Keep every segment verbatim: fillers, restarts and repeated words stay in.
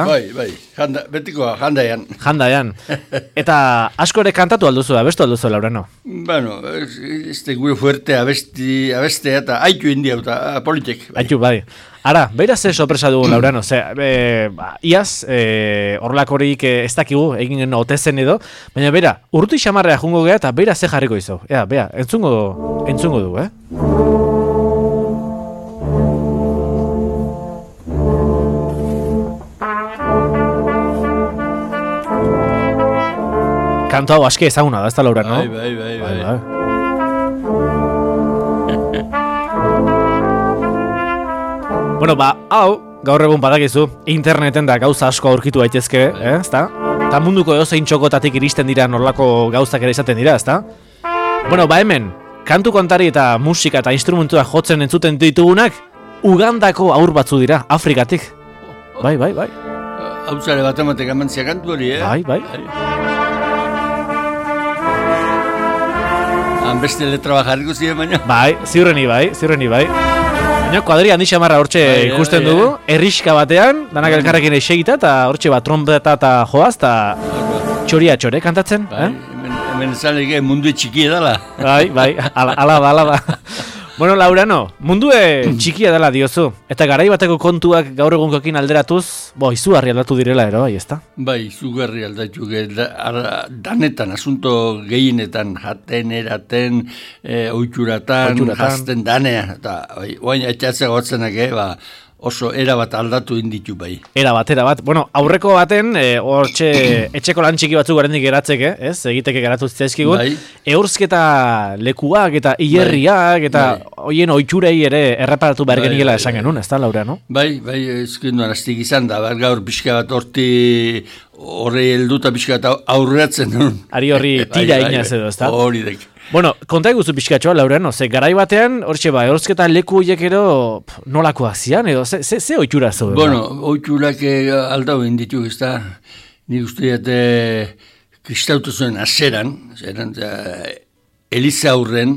Bai, bai, janda, betikoa, jandaian. Jandaian. Eta asko ere kantatu alduzu, abestu alduzu, Laurano? Bueno, este gure fuerte abesti, abestea eta haitu india eta politek. Bai. Haitu, bai. Ara, beira ze sorpresa dugu, Laurano, ze, e, ba, iaz, e, horrelakorik e, ez dakigu, egin gen otezen edo, baina beira, urruti xamarrea jungo geha eta beira ze jarriko izo. Ea, bea, entzungo, entzungo du, eh? Kantu hau aske ezaguna da, ez da, Laurano? Bai, bai, bai, bai. bai. Bueno, ba, hau, gaur egun badakizu, interneten da gauza asko aurkitu daitezke, eh, ezta? Ta munduko edozein txokotatik iristen dira norlako gauzak ere izaten dira, ezta? Bueno, ba hemen, kantu kontari eta musika eta instrumentua jotzen entzuten ditugunak, Ugandako aur batzu dira, Afrikatik. Bai, bai, bai. Hautzare bat ematek amantzia kantu hori, eh? Bai, bai. Han beste letra bajarriko ziren baina. Bai, ziurreni bai, ziurreni bai. Baina kuadri handi xamarra hortxe bai, ikusten bai, dugu, bai. Erriska batean, danak elkarrekin esegita, eta hortxe bat trompeta eta joaz, eta txoria txore kantatzen. Bai, eh? hemen, hemen zaleke mundu txiki edala. Bai, bai, ala, ala da, ala da. Bueno, Laurano, mundue txikia dela diozu, eta garai bateko kontuak gaur egunkokin alderatuz, bo, izugarri aldatu direla, ero, bai, ezta? Bai, izugarri aldatu, da, danetan, asunto gehienetan, jaten, eraten, e, oituratan, jazten danea, eta, bai, oain, etxatzea gotzenak, eh, ba, oso erabat aldatu inditu bai. Erabat, erabat. Bueno, aurreko baten, hortxe, e, etxeko lan txiki batzuk garendik geratzeke, ez? Egiteke geratu zitzaizkigun. Bai. Eurzketa lekuak eta hilerriak eta bai. Hoien oiturei ere erreparatu behar bai, geniela bai, esan genuen, ez da, Laura, no? Bai, bai, ezkin duan aztik izan da, bar gaur pixka bat horti horre helduta pixka bat aurreatzen duen. Ari horri tira bai, inaz edo, ez da? Hori dek. Bueno, konta eguzu pixkatxoa, Laurano, ze garai batean, hortxe ba, eurzketa leku horiek ero nolakoak zian, edo, ze, ze, ze oitura zo? Bueno, oiturak aldau inditu, ez da, nik uste dut kristautu zuen aseran, zeran, Eliza aurren,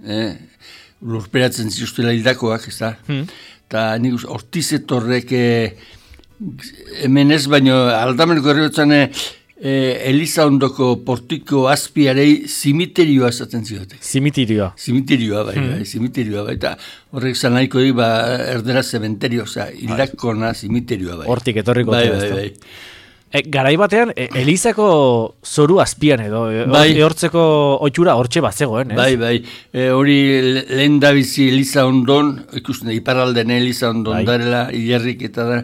eh, lurperatzen zituztela hildakoak, ez da, eta hmm. nik uste, hortizetorrek eh, hemen ez, baino aldameneko herriotzen Eh, Eliza ondoko portiko azpiarei zimiterioa esaten ziotek. Zimiterioa. Zimiterioa, bai, hmm. bai, zimiterioa, bai, eta horrek zan nahiko di, ba, erdera zementerio, oza, hildakona zimiterioa, bai. Hortik etorriko. Bai, bai, bai. E, garai batean, e, Elizako zoru azpian edo, e, bai. Ehortzeko oitura hortxe bat zegoen, ez? Bai, bai, e, hori lehen dabizi Eliza ondon, ikusten da, iparralden Eliza ondon bai. Darela, hilerrik eta da,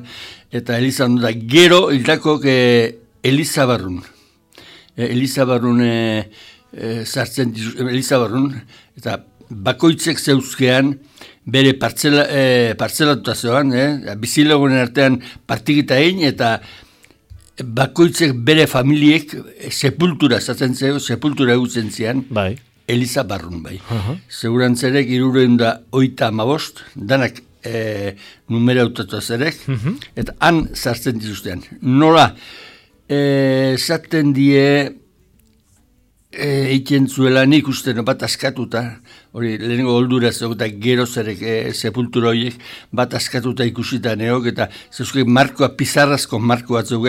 eta Eliza ondon da, gero hildako e, Elizabarrun. Elizabarrun e, e, sartzen dizu, Elizabarrun, eta bakoitzek zeuzkean bere partzela, e, partzelatuta zegoan, e, bizilagunen artean partikita egin, eta bakoitzek bere familiek e, sepultura zaten zego, sepultura egutzen zian, bai. Elizabarrun, bai. Uh-huh. Segurantzerek iruren da oita amabost, danak e, numera autatu zerek, uh-huh. eta han sartzen dizuztean. Nola, esaten die eiken zuela nik uste bat askatuta, hori lehenengo oldura zeok eta gero zerek e, sepultura horiek bat askatuta ikusita neok, eta zeuzke markoa, pizarrazko marko batzuk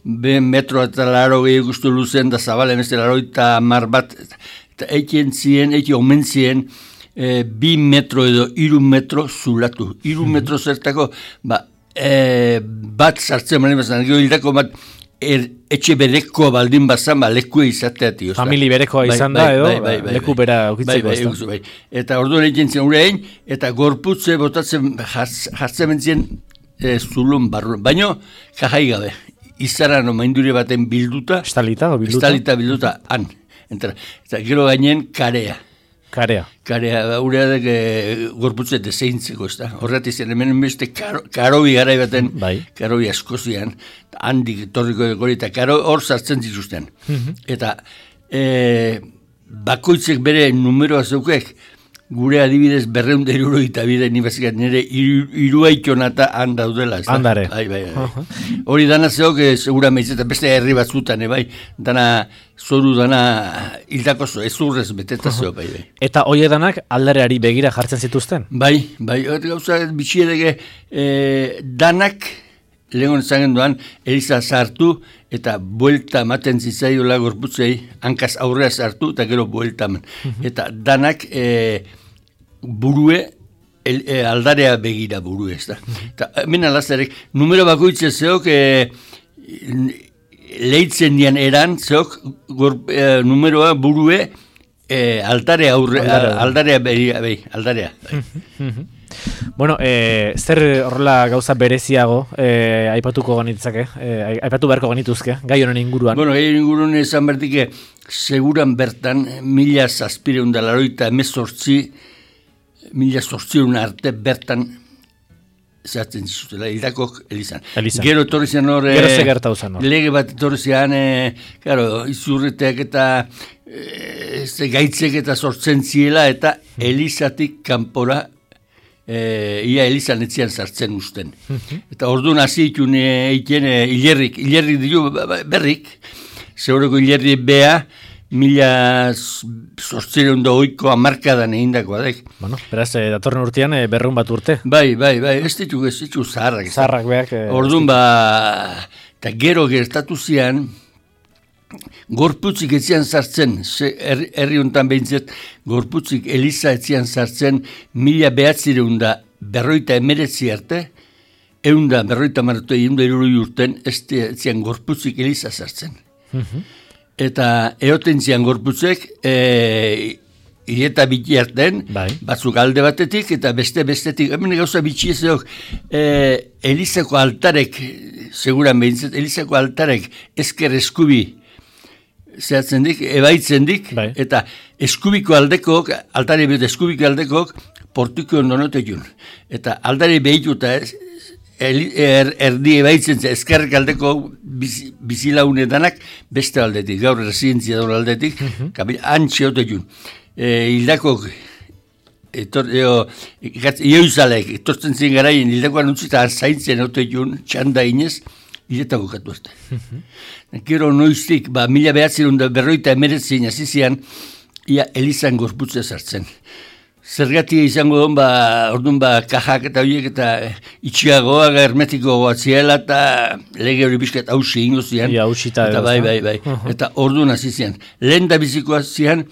be metro eta laro gehi guztu luzen da zabale emezte laro eta mar bat, eta eiken zien, eiken omen zien, e, bi metro edo iru metro zulatu, iru metro zertako, ba, e, bat sartzen mani bazan, gero hildako bat, Er, etxe berekoa baldin bazan, ba, lekua izatea tio. Famili berekoa bai, izan da, edo, bai, bai, bai, leku bera ukitzeko. Bai, bai, bai. Eta orduan egin zen urein, eta gorputze botatzen jartzen bentzien e, zulun barruan. Baina, jajai gabe, izaran omaindure baten bilduta. Estalita, bilduta? Estalita bilduta, han. Eta, eta gero gainen karea. Karea. Karea, ureadek e, gorputze deseintzeko, ez da. Horretik zen, hemen beste karo, karobi garai baten, bai. Karobi askozian, handik torriko gori, eta karo hor sartzen zituzten. Mm-hmm. Eta e, bakoitzek bere numeroa zeukek, gure adibidez berreunda iruro eta bide nibazikat nire iruaitonata han daudela. Handare. Bai, bai, bai. Uh-huh. Hori dana zeok, e, segura meiz, eta beste herri batzutan, e, bai, dana zoru dana hildako zo, ez urrez beteta zeo, bai, bai. Eta hoi edanak aldareari begira jartzen zituzten? Bai, bai, gauza bitxiedege, e, danak lehen zagen duan, Eliza sartu eta buelta ematen zitzaiola gorputzei, hankaz aurrea sartu eta gero buelta eman. Eta danak e, burue, el, e, aldarea begira burue, ez da. Eta hemen alazarek, numero bakoitze zeok, e, lehitzen dian eran, zeok, gor, e, numeroa burue, e, aldarea aurre, aldarea begira, behi, aldarea. Bai. Bueno, eh, zer horrela gauza bereziago eh, aipatuko genitzake, eh, aipatu beharko genituzke, gai honen inguruan? Bueno, gai honen inguruan esan bertike, seguran bertan, mila zazpireun da laroita emezortzi, mila zortzireun arte bertan zehatzen zizutela, hildakok Elizan. Elizan. Gero etorri zen hor, Gero ze gertatu zen hor. Lege bat etorri zen, e, claro, izurreteak eta e, gaitzek eta sortzen ziela, eta Elizatik kanpora E, ia Elizan etzian sartzen usten. Eta orduan hasi itun eiken e, hilerrik, hilerrik diru berrik, zeureko hilerri bea, mila zortzireun da oiko amarkadan egindakoa daik. Bueno, beraz, e, datorren urtean e, berreun bat urte. Bai, bai, bai, ez ditu, ez ditu zaharrak. Zaharrak beak. E, orduan ba, eta gero gertatu zian, gorputzik etzian sartzen, herri er, honetan behintzet, gorputzik Eliza etzian sartzen, mila behatzireun da berroita emeretzi arte, egun da berroita maratu egin da irurui urten, ez etzian gorputzik Eliza sartzen. Uh-huh. Eta eoten zian gorputzek, e, hileta biti arten, bai. Batzuk alde batetik, eta beste bestetik, hemen gauza bitxi ezeok, e, Elizako altarek, seguran behintzet, Elizako altarek ezker eskubi, zehatzen dik, ebaitzen dik, bai. Eta eskubiko aldekok, altari behit eskubiko aldekok, portuko ondonotekun. Eta aldari behituta, er, erdi ebaitzen ze, eskerrek aldeko biz, bizilaunedanak beste aldetik, gaur residentzia daur aldetik, uh-huh. Kabil, antxe otekun. E, hildakok, etor, eo, ioizalek, etortzen zen garaien, hildakoan utzita zaintzen otekun, txanda inez, hiletako katu arte. Uh-huh. Gero noiztik, ba, mila behatzerun da berroita emeretzin azizian, ia Elizan gorputzea sartzen. Zergatia izango duen, ba, orduan, ba, kajak eta horiek eta itxiagoa, hermetiko goatziela eta lege hori bizkat hausi ingo zian. Ia, hausita edo. Eta bai, bai, bai. Uh-huh. Eta orduan azizian. Lehen da bizikoa zian,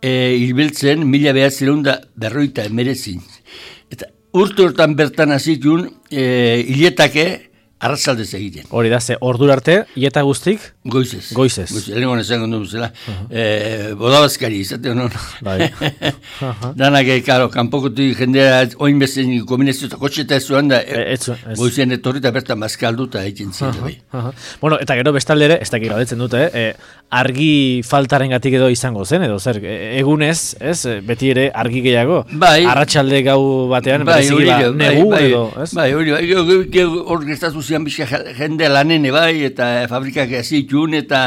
e, hilbeltzen mila behatzerun da berroita emeretzin. Eta urte hortan bertan azitun, e, hiletake, arratzaldez egiten. Hori da, ze ordura arte, ieta guztik? Goizez. Goizez. Goizez. Lehen gona esan gondu zela. Uh-huh. E, bodabazkari, izate honon. Bai. Uh-huh. Danak, karo, kanpokotik jendea, oin bezen kombinezio eta kotxeta ez zuen da, e, ez, ez. Goizean etorri eta bertan mazkaldu eta egiten zile, uh-huh. Bai. Uh-huh. Bueno, eta gero bestaldere, ez dakik galdetzen dute, eh? argi faltaren gatik edo izango zen, edo zer, egunez, ez, beti ere argi gehiago. Bai. Arratsalde gau batean, bai, hori, ba, bai, negu bai, edo, ez? Bai, hori, bai, hor gestatu zian bizka jende lanene bai, eta fabrikak ezitun, eta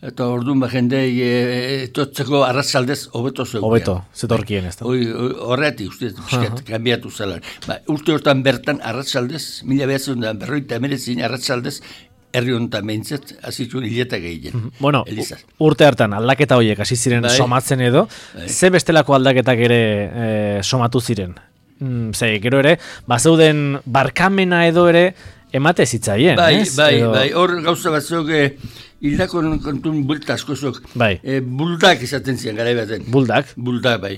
eta orduan ba jende etotzeko arratzaldez hobeto zegoen. Hobeto, zetorkien ez da. Horretik, uste, bizkat, kanbiatu zela. Ba, urte hortan bertan arratzaldez, mila behatzen da berroita emeretzin arratzaldez, herri honetan behintzet, azitun hiletak egiten. Bueno, Elizaz. Urte hartan aldaketa horiek hasi ziren bai. Somatzen edo, bai. Ze bestelako aldaketak ere e, somatu ziren? Mm, ze, gero ere, bazeuden barkamena edo ere emate zitzaien, bai, ez? Bai, edo... bai, hor gauza batzuk, e, hildako kontun bulta askozok, bai. e, buldak izaten zian, garai baten. Buldak? Buldak, bai.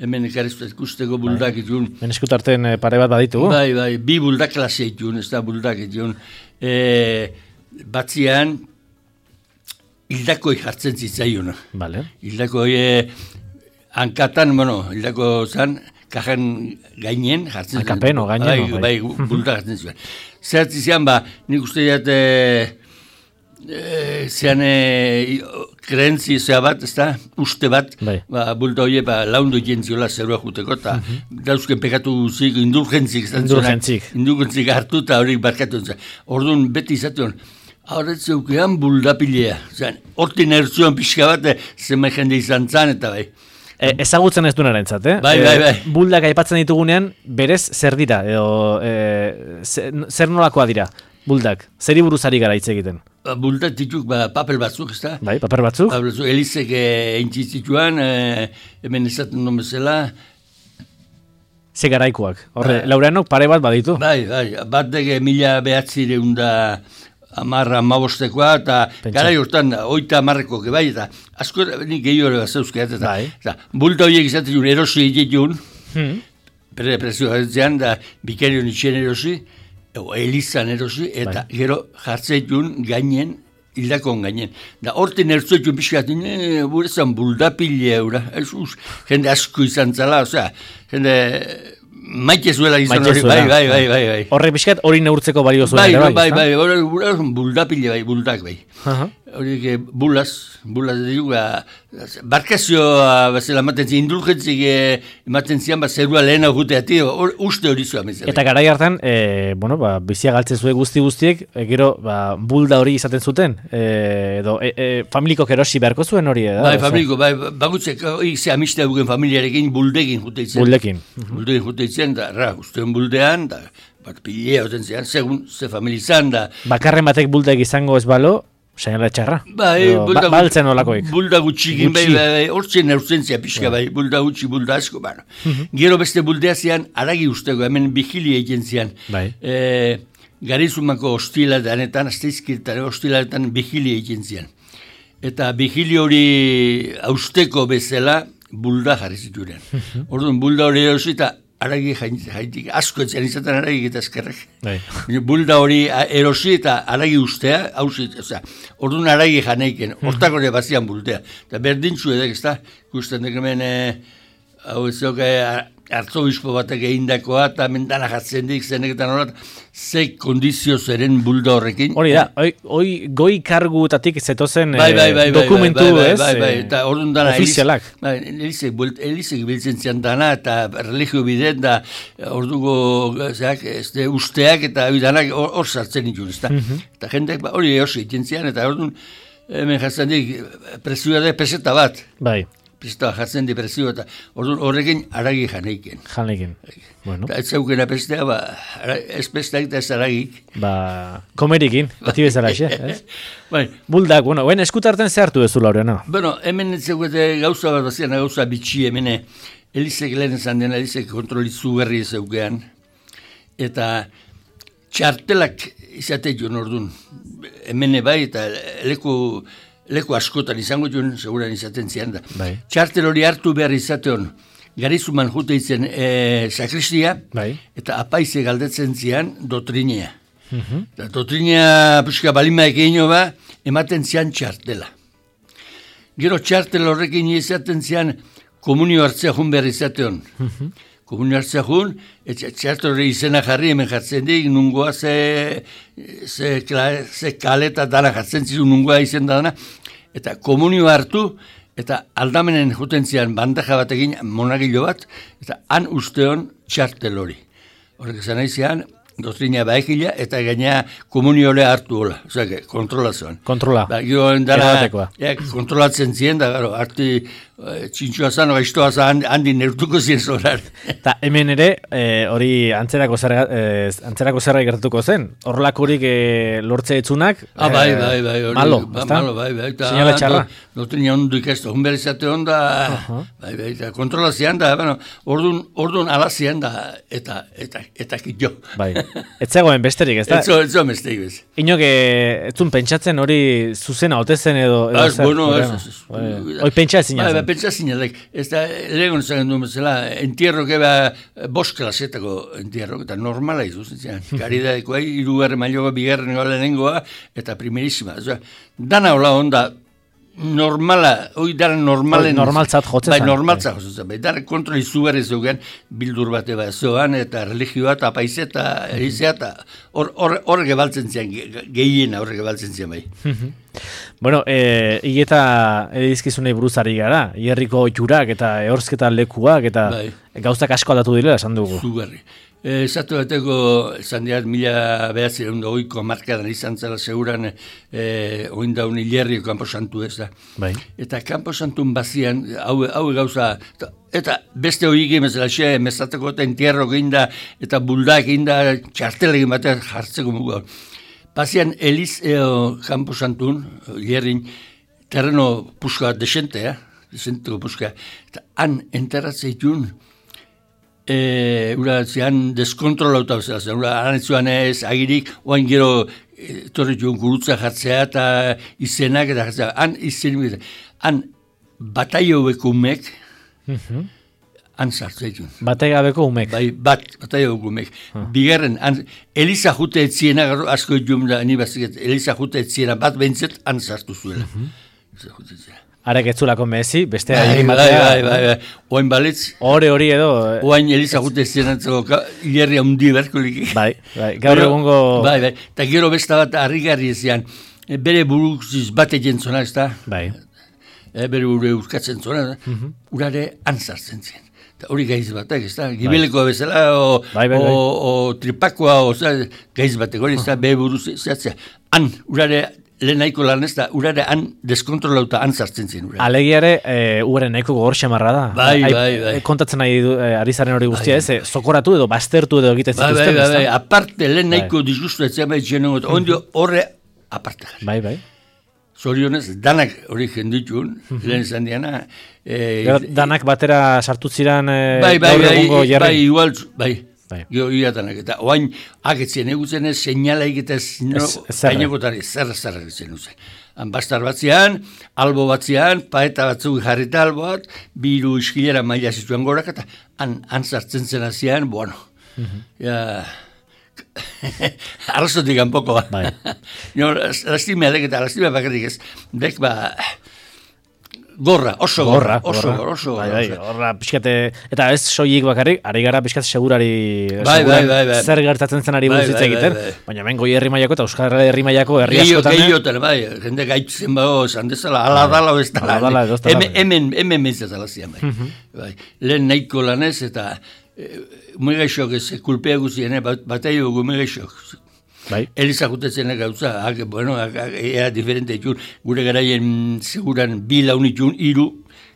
Hemen ekarriztu ikusteko buldak bai. Itun. Hemen eskutarten pare bat baditu? Bai, bai, bi buldak klase itun, ez da buldak itun. E, batzian, hildakoi jartzen zitzaion. Vale. Hildakoi, e, hankatan, bueno, hildako zan, kajan gainen jartzen zitzaion. Hankapeno, gainen. Bai, bai, bai buldak jartzen zitzaion. Zeratzi zian, ba, nik uste jat, e, e, zean e, krentzi zea bat, ez da, uste bat, bai. Ba, bulta hori, ba, laundu jentziola zerua juteko, eta uh-huh. Dauzken pekatu zik, indulgentzik, indulgentzik, indulgentzik hartu, eta horiek barkatu zen. Orduan, beti izatean, horretzeukean buldapilea, hortin ertzuan pixka bat, zema jende izan zan, eta bai. E, ezagutzen ez duenaren zat, eh? Bai, bai, bai. E, buldak aipatzen ditugunean, berez zer dira, edo e, zer nolakoa dira, buldak? Zeri buruzari gara hitz egiten? Ba, buldak dituk, ba, papel batzuk, ez da? Bai, papel batzuk? Papel batzuk, Elizek egin zituan, e, hemen ezaten non bezala, Ze garaikoak. Horre, Ba. Laureanok pare bat baditu. Bai, bai, bat dege mila behatzireun da amarra amabostekoa, eta Pentsa. garai hortan oita amarrekoak bai, eta asko nik gehiago bat zeuzkeat, eta, Bai. eta bulta horiek izaten jun erosi egitun, Hmm. bere prezioa gatzean, da bikarion itxen erosi, o, elizan erosi, eta Bai. gero jartzeitun gainen, hildakon gainen. Da horten ertzoitun pixkat, ne, burezan buldapile eura, ez us, jende asko izan zala, osea, jende maite zuela izan Maite hori, zuela. bai, bai, bai, bai, bai. Horre pixkat hori neurtzeko balio zuen. Bai, ere bai, bai, ezta? bai, hori hori buldapile bai, buldak bai. Aha. Horiek eh, bulaz, bulaz dugu, barkazioa bezala ematen zian, indulgentzik eh, ematen zian, ba, zerua lehena juteati, hor- uste hori zua mezela. Eta garai hartan, e, bueno, ba, bizia galtzen zuen guzti guztiek, e, gero, ba, bulda hori izaten zuten, e, edo, e, e, familikok erosi beharko zuen hori, edo? Bai, familiko, bai, bagutzek, hori ze amistea dugen familiarekin buldekin juteitzen. Buldekin. Buldekin juteitzen, da, ra, ustean buldean, da, bat pilea hoten zean, segun, ze familizan, da, Bakarren batek buldek izango ez balo, seinala txarra. bai, Edo, bulda, ba, baltzen olakoik. bulda gutxikin, bai, Gutxi. bai, bai, hortzen neurzentzia pixka, bai, bulda gutxi, bulda asko, bueno. Gero beste buldea zian, aragi usteko, hemen bigilia egiten zian. Bai. E, Garizumako hostiladetan, azteizkirtaren hostiladetan bigilia egiten zian. Eta bigili hori austeko bezala bulda jarri zituren. Orduan, bulda hori erosi eta aragi jaitik, asko etzian izaten aragi eta eskerrek. Bai. Bulda hori a- erosi eta aragi ustea, hausi, osea, orduan aragi janeiken, hortak hori bazian buldea. Eta berdintzu edek, ez da, ikusten dek hemen, eh, hau ez zok, hartzobispo batek egindakoa, eta mendana jatzen dik, zeneketan horat, ze kondizio zeren bulda horrekin. Hori da, oi, oi goi karguetatik zetozen Bai, bai, bai, eh, bai, dokumentu, bai, bai, ez? bai, bai, eh, eta orduan dana ofizialak. Eliz- Bai, Elizek, buelt- Elizek biltzen zian dana, eta religio bidez, da orduko zeak, ez de, usteak, eta hori danak hor hor sartzen ditun, ez da. Eta jendeak ba, hori eosi egiten zian, eta orduan hemen jartzen dik, prezioa da peseta bat, Bai, peseta bat jartzen di prezioa, eta orduan horrekin aragi janeiken. janekin. Bueno, Eta ez zeukena pestea, ba, ara- ez pesteak eta ez aragik. ba, komerikin, bati bezala xe, ez? Bai, Buldak, bueno, oen eskutarten zehartu duzu, Laureano. bueno, hemen ez zeukete gauza bat bazian, gauza bitxi hemene, Elizek lehen esan dena, Elizek kontrolitzu berri zeukean, eta txartelak izate joan orduan, hemene bai, eta leku, leku askotan izango joan, seguran izaten zian da. Bai. Txartel hori hartu behar izateon, Garizuman jute itzen e, sakristia, Bai. eta apaize galdetzen zian dotrinea. Eta dotrinea pixka balima ekeino ba, ematen zian txartela. Gero txartel horrekin izaten zian komunio hartzea jun behar izateon. Komunio hartzea jun, eta txartel hori izena jarri hemen jartzen dik, nungoa ze, ze, kla- ze kaleta dana jartzen zizun nungoa izen dana, eta komunio hartu, eta aldamenen juten zian bandaja batekin monagilo bat, eta han usteon txartel hori. Horrek esan nahi zian, dotrina baekila, eta gaina komuniole hartu hola, osea, kontrolazioan. Kontrola. Ba, gero dara, Erabatekoa. ja, kontrolatzen zien, da, gero, arti e, txintxua zan, gaiztoa zan, handi neurtuko zien zorar. Eta hemen ere, eh, hori antzerako zerga, eh, antzerako zerga gertatuko zen. Horrelakorik eh, lortze etzunak, Ah, bai, eh, bai, bai, hori, malo, ba, ezta? malo, bai, bai, eta Seinale txarra. do- dotrina ondo ikastu, hon behar izate onda, bai, bai, eta kontrolazian da, bueno, ordun, ordun alazian da, eta, eta, eta kitjo. Bai. Ez zegoen besterik, ez da? Etzo, etzo mestek bez. Inok, eh, ez zuen pentsatzen hori zuzena ote zen edo... edo Ah, zer, bueno, Laureano? ez, ez, ez. Bai. Hoi pentsa ezin Bai, bai, zen. pentsa zinelek. Ez da, legon zagen duen bezala, entierro keba bost klasetako entierro, eta normala izuz, zian. Karidadekoa, irugarren mailoa, bigarren lehenengoa, eta primerísima. Osea, dana hola onda, normala, hoi dara normalen... Hoi normaltzat jotzen Bai, zen, normaltzat jotzen zen. Bai, dara kontrol izugarri zeugen, bildur bate bat zoan, eta religioa, eta apaize, eta erizea, eta hor, hor, hor gebaltzen zian, ge- gehiena hor gebaltzen zian, bai. Bueno, e, higeta edizkizunei buruzari gara, hierriko jurak eta ehorzketa lekuak eta Bai. gauzak asko aldatu direla esan dugu. Zugarri. E, Zatu bateko, esan diat, mila behatzireun da oiko markadan izan zela seguran, e, oindaun hilerrio kanposantu ez da. Bai. Eta kanposantun bazian, hau, hau gauza, eta, eta beste horiek emezela, xe, mezateko eta entierro ginda, eta buldak ginda, txartelegin batean jartzeko mugu. Bazian, Eliz eo kanposantun, hilerrin, terreno puska desentea, desenteko puska, eta han enterratzeitun, E, ura zian deskontrolauta bezala zen, ura anetzuan ez agirik, oain gero etorri joan gurutza jartzea eta izenak eta jartzea, han izen, han bataio-beko umek, uh-huh. han sartzea joan. Bataio-beko umek? Bai, bat, bataio-beko umek. Uh. Bigarren, han, Eliza jute etziena, asko joan da, ni bazik, Eliza jute etziena, bat behintzet, han sartu zuela. Uh-huh. Arek etzulako mezi, beste bai, bai, bai, bai, bai, bai. Oain balitz. Hore hori edo. Oain Eliza jute zienatzeko hilerri handi berkolik. Bai, bai, gaur egungo. Bai, bai, eta gero besta bat harrigarri ezean, bere buruziz bate jentzona, ez da? Bai. E, bere buru urkatzen zona, uh-huh. urare antzartzen zien. Eta hori gaiz batek, ez da? Gibelekoa bezala, o, bai, bai, bai. o, o tripakoa, o, gaiz batek, hori ez da, bere buruz zehatzea. Han, urare lehen nahiko lan ez da, urare han deskontrolauta han zartzen zen. Urare. Alegiare, e, urare nahiko gogor xamarra da. Bai, Ai, bai, bai. Kontatzen nahi du, e, ari zaren hori guztia bai. Ez, e, zokoratu edo, baztertu edo egiten bai, zituzten. Bai, bai, bai, aparte, lehen nahiko bai. Disgustu etzen bai txenon, ondio horre aparte. Bai, bai. Zorionez, danak hori jenditun, lehen izan diana. E, danak batera sartu ziren e, bai, bai, gaur egungo bai, jarri. Bai, igual, bai. Bai. Gio iratanak, eta oain agetzen egutzen ez, seinalaik eta no, gainekotari, zerra zerra egitzen uzen. Bastar batzean, albo batzean, paeta batzuk jarrita albo bat, biru iskilera maila zituen gorak, eta han, han sartzen zen azian, bueno, uh-huh. ja, arrazotik ganpoko, bai. no, lastimea dek eta lastimea bakarrik ez, dek ba, gorra, oso gorra, gorra oso gorra, oso gorra. Bai, bai, gorra, pixkate, eta ez soilik bakarrik, ari gara pixkat segurari, bai, bai, bai, bai. zer gertatzen zen ari bai, buruz hitz bai, egiten, bai, bai. baina hemen goi herri mailako eta Euskal Herri mailako herri askotan. Gehiotan, bai, jende gaitzen bago, esan dezala, ala dala ez dala. Ala dala ez dala. Hemen, hemen mentzaz alazian, bai. bai. Lehen nahiko lanez eta umegaixok ez, kulpea guzien, bataio umegaixok. Bai. Eliza jutetzen gauza, ag, bueno, ea diferente itxun, gure garaien seguran bi launitxun, iru,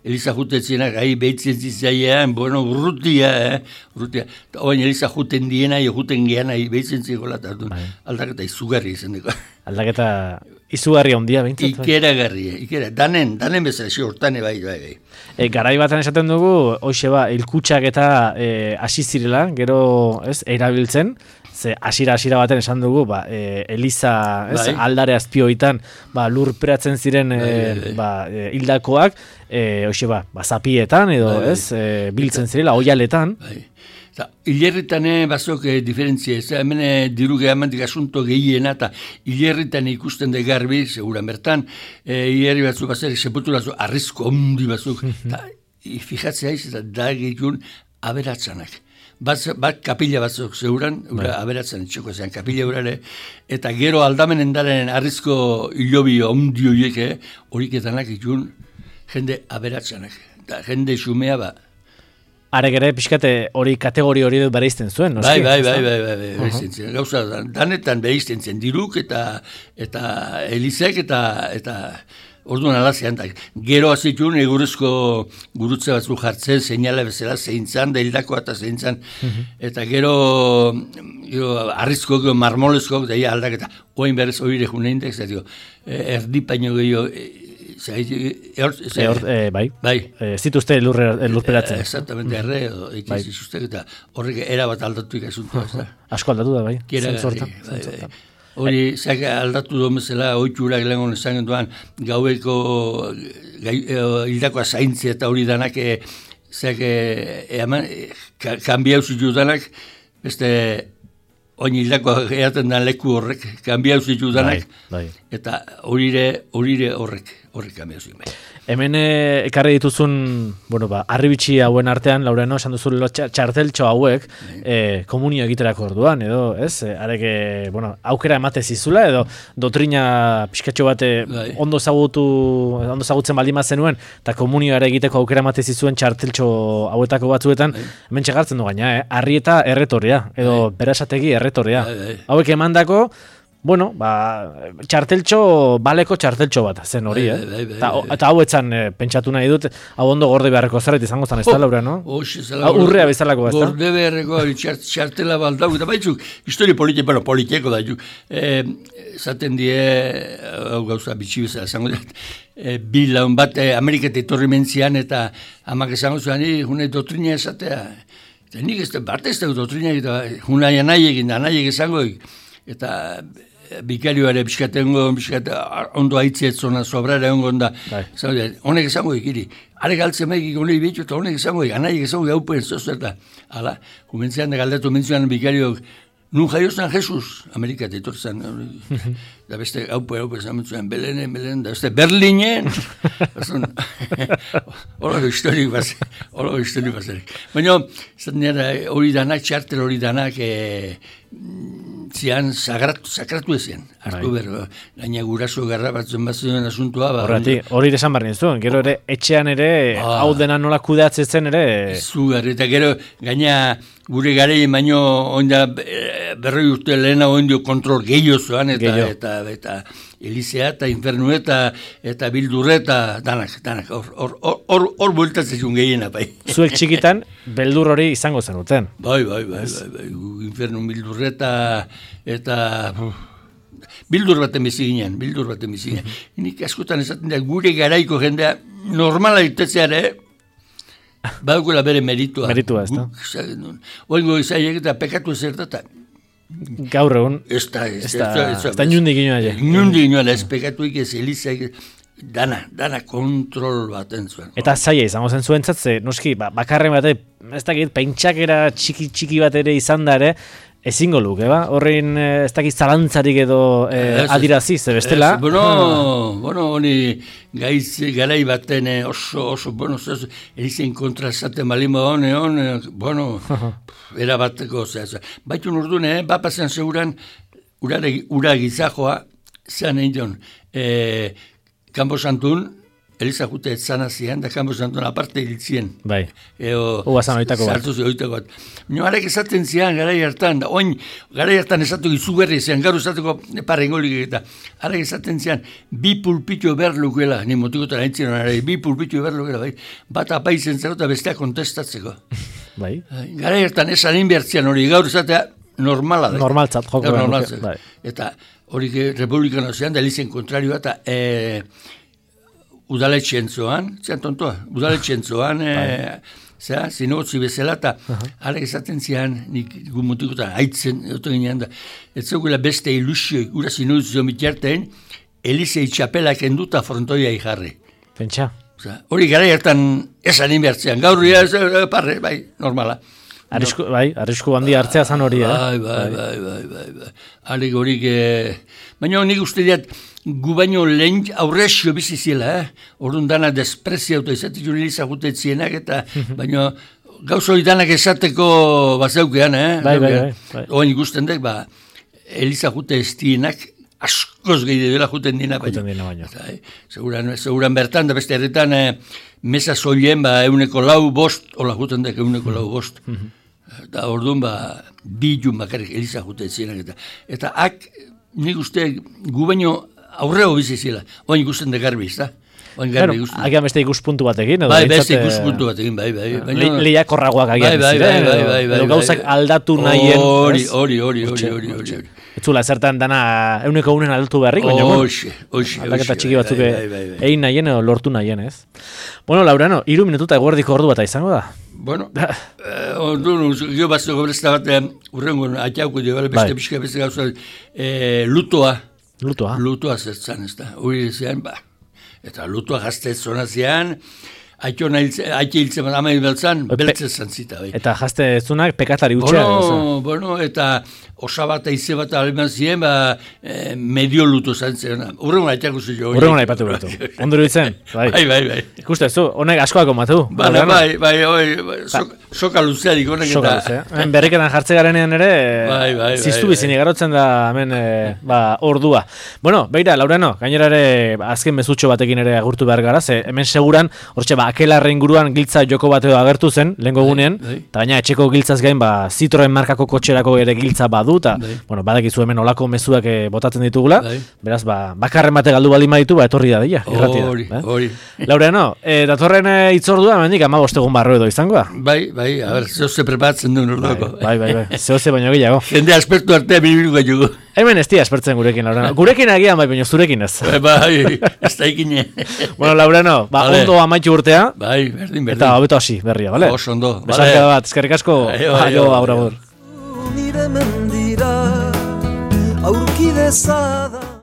Eliza jutetzen gai behitzen zizaian, bueno, urrutia, eh, urrutia. Oain Eliza juten diena, juten geana, behitzen zikola, bai. Aldaketa izugarri izan dugu. Aldaketa izugarri ondia, behintzat? Ikera garri, ikera, danen, danen bezala, xe hortane bai, bai, bai. E, garai batan esaten dugu, hoxe ba, ilkutsak eta e, asizirela, gero, ez, erabiltzen, ze asira-asira baten esan dugu, ba, e, Eliza ez, bai. Aldare azpioitan ba, lurperatzen ziren e, bai, bai. Ba, e, hildakoak, e, hoxe ba, ba, zapietan edo bai, bai. Ez, e, biltzen zirela, oialetan. Bai. Hilerritan bazok e, diferentzia, ez hemen e, diruge amantik asunto gehiena, eta hilerritan ikusten de garbi, seguran bertan, e, hilerri batzuk bazer, sepultura batzuk, arrizko ondi batzuk, eta fijatzea iz, eta da gehitun aberatzanak. Bat, bat kapila batzuk zeuran, ura aberatzen txoko zean kapila urare, eta gero aldamenen daren arrizko hilobi ondi horiek, horiketanak ikun jende aberatzenak, eta jende xumea ba. Arek ere, pixkate hori kategori hori bereizten zuen, noski? Bai, bai, bai, bai, bai, bai, bereizten zen. Gauza, danetan bereizten zen diruk eta eta Elizek eta eta orduan alazean, gero azitun egurezko gurutze batzuk jartzen, seinale bezala zeintzan, da hildakoa eta zeintzan, uh-huh. eta gero, gero arrizko, gero marmolezko, da ia aldaketa, oain berrez oire junein dek, zati, erdi paino gehiago, bai, bai. Ez dituzte lurperatzen. Exactamente, erre, ekiz izuztek, eta horrek erabat aldatu ikasuntua, ez da. Asko aldatu da, bai. Kiera gari, bai, bai. Hori, zak aldatu duen bezala, oitxurak lehen honen zangen duan, gaueko hildakoa zaintzia eta hori danak, zak, kanbiau zitu danak, beste, oin hildakoa gehaten dan leku horrek, kanbiau zitu danak, eta horire horrek, horrek kanbiau zitu. Hemen ekarri dituzun, bueno, ba, arribitxi hauen artean, Laureano, esan duzu txarteltxo hauek, e, komunio egiterako orduan, edo, ez? Arek, bueno, aukera emate zizula, edo dotrina pixkatxo bat ondo zagutu, ondo zagutzen baldin bat zenuen, eta komunioare egiteko aukera emate zizuen txarteltxo hauetako batzuetan, hemen txegartzen du gaina, eh? Arri eta erretorria, edo berasategi erretorria. Hauek emandako, bueno, ba, txarteltxo, baleko txarteltxo bat, zen hori, eh? Bai, bai, bai, eta hau etzan e, pentsatu nahi dut, hau ondo gorde beharreko zerret izango zan, ez da, Laura, no? Hau urrea bezalako, ez da? Gorde beharreko txartela baldau, eta baitzuk, histori politiko, bueno, politiko da, zaten die, hau gauza bitxi bezala, zango dut, e, bilaun bat, e, Ameriketa etorri mentzian, eta hamak esango zuan, june dotrina esatea, Eta nik ez da, bat ez da doktrinak, eta unai anaiek, anaiek esangoik, eta bikarioare biskatengo, biskat, ondo haitziet zona sobrara ongon da, honek esangoik, iri, are galtzen maikik honei bitu, eta honek esangoik, anaiek esangoik haupen zozerta, ala, kumentzean da galdatu mentzuan bikariok, nun jaiozan Jesus, Amerikat etortzen, da beste haupen, haupen zamentzuan, Belenen, Belenen, da beste Berlinen, holo historik bazen, holo historik bazen. Baina, hori danak, txartel hori danak, zian sagratu, sakratu ezean. Artu berro, gaina guraso garra batzen batzen asuntua. Horrati, hori esan barri ez du, gero ere etxean ere, hau dena nola kudeatzen ere. Zugar, eta gero gaina gure garei baino oinda berroi urte lehena oindio kontrol gehiozoan, eta, eta, eta Elizea eta Infernu eta eta Bildurreta danak, danak, hor, hor, hor, hor bueltatzen gehiena, bai. Zuek txikitan, beldur hori izango zenuten. Bai, bai, bai, bai, bai, Infernu Bildurreta eta bildur baten bizi ginen, bildur baten bizi ginen. Nik askotan esaten da, gure garaiko jendea normala itetzea ere, badukela bere meritua. Meritua, ez da? Oingo izaiek eta pekatu ezertata. Gaur egun, ez da, ez da, ez da nundik inoa. Nundik inoa, ez pekatuik ez Elizaik, dana, dana kontrol baten zuen. Eta zaila izango zen zuen zatze, noski, bakarren bate, ez dakit, pentsakera txiki txiki bat ere izan da ere, ezingo luke, ba? Horrein, ez dakit zalantzarik edo eh, adirazi, ze bestela. Ez, bueno, bueno, honi gaiz garai baten oso, oso, bueno, zez, Elizen kontra esaten balima hone, hone, bueno, era bateko, zez. Baitu nordune, eh, bapazen seguran, urare, ura gizajoa, zean egin dion, eh, Kampo Santun, Eliza jute etzana zian, da Kampo Santun aparte hiltzien. Bai, Eo, uazan oitako bat. Zartuz oitako bat. Nio, harek esaten zian, garai hartan, da, oin, garai hartan esatu izugarri zian, gaur esatuko parrengolik eta, harek esaten zian, bi pulpitio behar lukela, ni motikotan aintzien hori, bi pulpitio behar lukela, bai, bat apaizen zero eta bestea kontestatzeko. Bai. Garai hartan esan inbertzian hori, gaur esatea normala da. Normaltzat, joko. Normaltzat. Bai. Eta hori republikano zean, da Elizen kontrarioa, eta e, udaletxen zoan, zean tontoa, udaletxen zoan, e, zera, zinogotzi bezala, eta harek esaten zian, nik gumutikuta haitzen, eto ginean da, ez zegoela beste ilusioik, gura zinogotzi zo mitjarten, Elizei txapelak enduta frontoia ijarri. Pentsa. Hori gara hartan esan inbertzean, gaur ya, parre, bai, normala. Arrisku, bai, arrisku handi hartzea zan hori, eh? Bai, bai, bai, bai, bai, bai. Harik horik, eh, baina nik uste diat, gu baino lehen aurrezio biziziela, eh? Orduan dana despreziauta izatik juri izagutetzienak, eta baina gauza hori danak esateko bazeukean, eh? Bai, bai, bai, bai. Oin ikusten dek, ba, Eliza jute ez dienak, askoz gehi dela juten dina, baina. Juten dina baina. Eh? Seguran, seguran bertan, da beste herritan, eh, mesa zoien, ba, euneko lau bost, hola juten dek euneko lau bost. Eta orduan, ba, bi jun bakarrik Eliza jute zienak, eta, eta ak, nik uste, gu baino aurreo bizizila, oin ikusten de garbi, ez da? Claro, agian beste ikuspuntu batekin, edo? Bai, beste ikuspuntu batekin, bai, bai. Lehiakorragoak agian ziren, edo gauzak aldatu nahien. Hori, hori, hori, hori, hori, hori. Etzula, zertan dana euneko unen aldatu beharrik, baina, bueno, oxe, oxe, aldaketa txiki batzuk egin nahien edo lortu nahien, ez? Bueno, Laurano, iru minututa eguerdiko ordu bat izango da? Bueno, orduan, gio batzeko berezta bat, urrengo, atxauko dio, beste pixka, beste gauza, lutoa. Lutoa? Lutoa zertzan, ez da, hori zean, ba. Eta lutua gazte zona zean, haitxe hiltzen, ama hilbeltzan, beltze zantzita. Bai. Eta jazte zunak pekatari utxea? Bueno, bueno, eta osabata ize bat aleman ziren, ba, eh, medio luto zantzen. Urrengon haitxako zu jo. Urrengon haipatu betu. Onduru ditzen? Bai, bai, bai. bai. Ikuste zu, honek askoako matu? Ba, bai, bai, bai, bai, soka luzeadik honek eta... Soka luzea. Hemen berriketan jartze garenean ere, bai, bai, ziztu bai, bizini garotzen da hemen ba, ordua. Bueno, beira, Laurano, gainera ere azken mezutxo batekin ere agurtu behar gara, ze hemen seguran, hortxe, ba, akelarre inguruan giltza joko bat edo agertu zen, lehengo gunean, eta baina etxeko giltzaz gain, ba, Citroen markako kotxerako ere giltza badu, eta, bueno, badakizu hemen olako mezuak botatzen ditugula, beraz, ba, bakarren bate galdu baldin baditu, ba, etorri da dira, irratia. Hori, hori. Laureano, e, datorren e, itzordua, hemendik hamabost egun barro edo izango da? Bai, bai, a ber, zehoze preparatzen duen ordoko. Bai, bai, bai, zehoze baino gehiago. Jende aspertu artea bilibiluko jugu. Hemen ez dia espertzen gurekin, Laurano. Gurekin agian bai, baina zurekin ez. Bai, ez da ikine. Bueno, Laurano, ba, vale. Ondo amaitu urtea. Bai, berdin, berdin. Eta hobeto hasi, berria, bale? Oso ondo. Besarka bat, eskerrik asko. Aio, agur, agur. Nire mendira aurki dezada